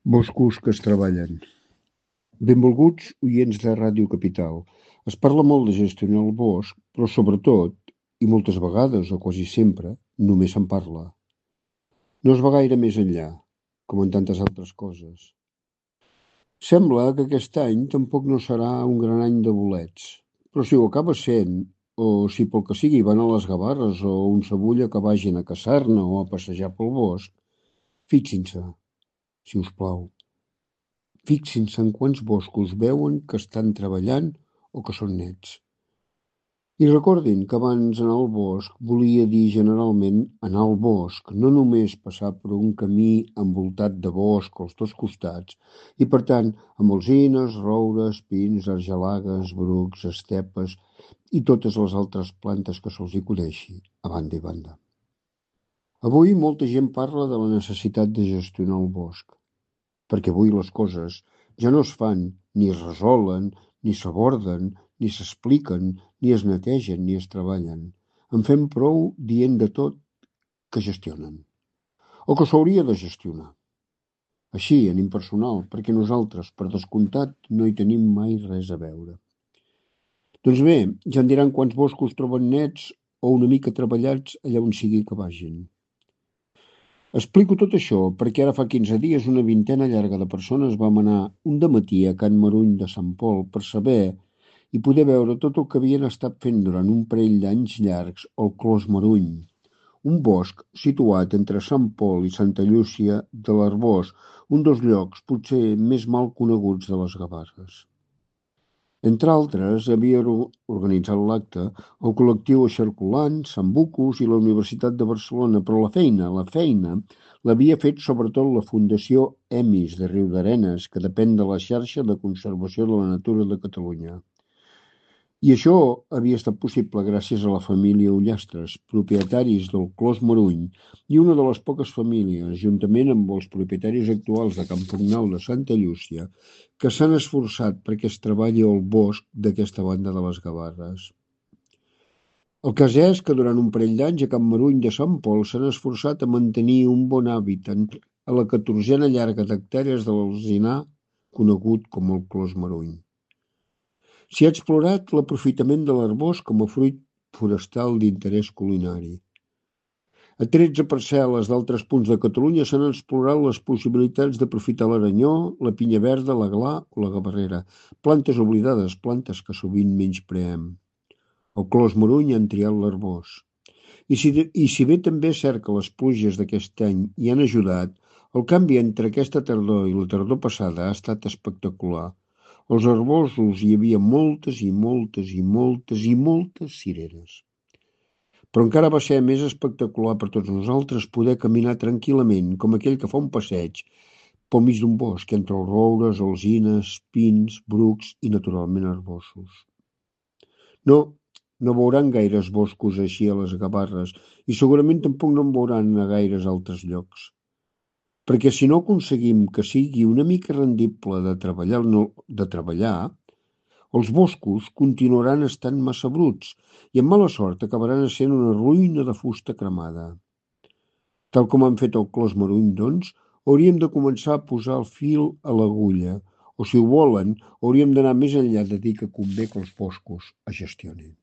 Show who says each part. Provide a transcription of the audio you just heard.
Speaker 1: Boscos que es treballen. Benvolguts oients de Ràdio Capital. Es parla molt de gestionar el bosc, però sobretot, i moltes vegades o quasi sempre, només se'n parla. No es va gaire més enllà, com en tantes altres coses. Sembla que aquest any tampoc no serà un gran any de bolets, però si ho acaba sent, o si pel que sigui van a les Gavarres o un Sabulla que vagin a caçar-ne o a passejar pel bosc, fixin-se, si us plau. Fixin-se en quants boscos veuen que estan treballant o que són nets. I recordin que abans anar al bosc volia dir generalment anar al bosc, no només passar per un camí envoltat de bosc als dos costats, i per tant amb alzines, roures, pins, argelagues, brucs, estepes i totes les altres plantes que se'ls hi coneixi, a banda i banda. Avui molta gent parla de la necessitat de gestionar el bosc, perquè avui les coses ja no es fan, ni es resolen, ni s'aborden, ni s'expliquen, ni es netegen, ni es treballen. En fem prou dient de tot que gestionen, o que s'hauria de gestionar. Així, en impersonal, perquè nosaltres, per descomptat, no hi tenim mai res a veure. Doncs bé, ja em diran quants boscos troben nets o una mica treballats allà on sigui que vagin. Explico tot això perquè ara fa 15 dies una vintena llarga de persones vam anar un dematí a Can Maruny de Sant Pol per saber i poder veure tot el que havien estat fent durant un parell d'anys llargs al Clos Maruny, un bosc situat entre Sant Pol i Santa Llúcia de l'Arboç, un dels llocs potser més mal coneguts de les Gavarres. Entre altres, havia organitzat l'acte el col·lectiu Eixarcolant, Sant Bucus i la Universitat de Barcelona, però la feina l'havia fet sobretot la Fundació EMIS de Riudarenes, que depèn de la xarxa de conservació de la natura de Catalunya. I això havia estat possible gràcies a la família Ullastres, propietaris del Clos Maruny, i una de les poques famílies, juntament amb els propietaris actuals de Can Pugnal de Santa Llúcia, que s'han esforçat perquè es treballi el bosc d'aquesta banda de les Gavarres. El cas és que durant un parell d'anys a Can Maruny de Sant Pol s'han esforçat a mantenir un bon hàbitat a la 14a llarga d'hectàrees de l'alzinar conegut com el Clos Maruny. S'hi ha explorat l'aprofitament de l'arbós com a fruit forestal d'interès culinari. A 13 parcel·les d'altres punts de Catalunya s'han explorat les possibilitats d'aprofitar l'aranyó, la pinya verda, la gla o la gavarrera, plantes oblidades, plantes que sovint menyspreem. Al Clos Maruny han triat l'arbós. I si bé també és cert que les pluges d'aquest any hi han ajudat, el canvi entre aquesta tardor i la tardor passada ha estat espectacular. Als arboços hi havia moltes cireres. Però encara va ser més espectacular per tots nosaltres poder caminar tranquil·lament, com aquell que fa un passeig, pel mig d'un bosc, entre els roures, alzines, pins, brucs i, naturalment, arboços. No veuran gaires boscos així a les Gavarres i segurament tampoc no en veuran a gaires altres llocs. Perquè si no aconseguim que sigui una mica rendible de treballar, els boscos continuaran estant massa bruts i amb mala sort acabaran essent una ruïna de fusta cremada. Tal com han fet el Clos Maruny, doncs, hauríem de començar a posar el fil a l'agulla, o si ho volen, hauríem d'anar més enllà de dir que convé que els boscos es gestionin.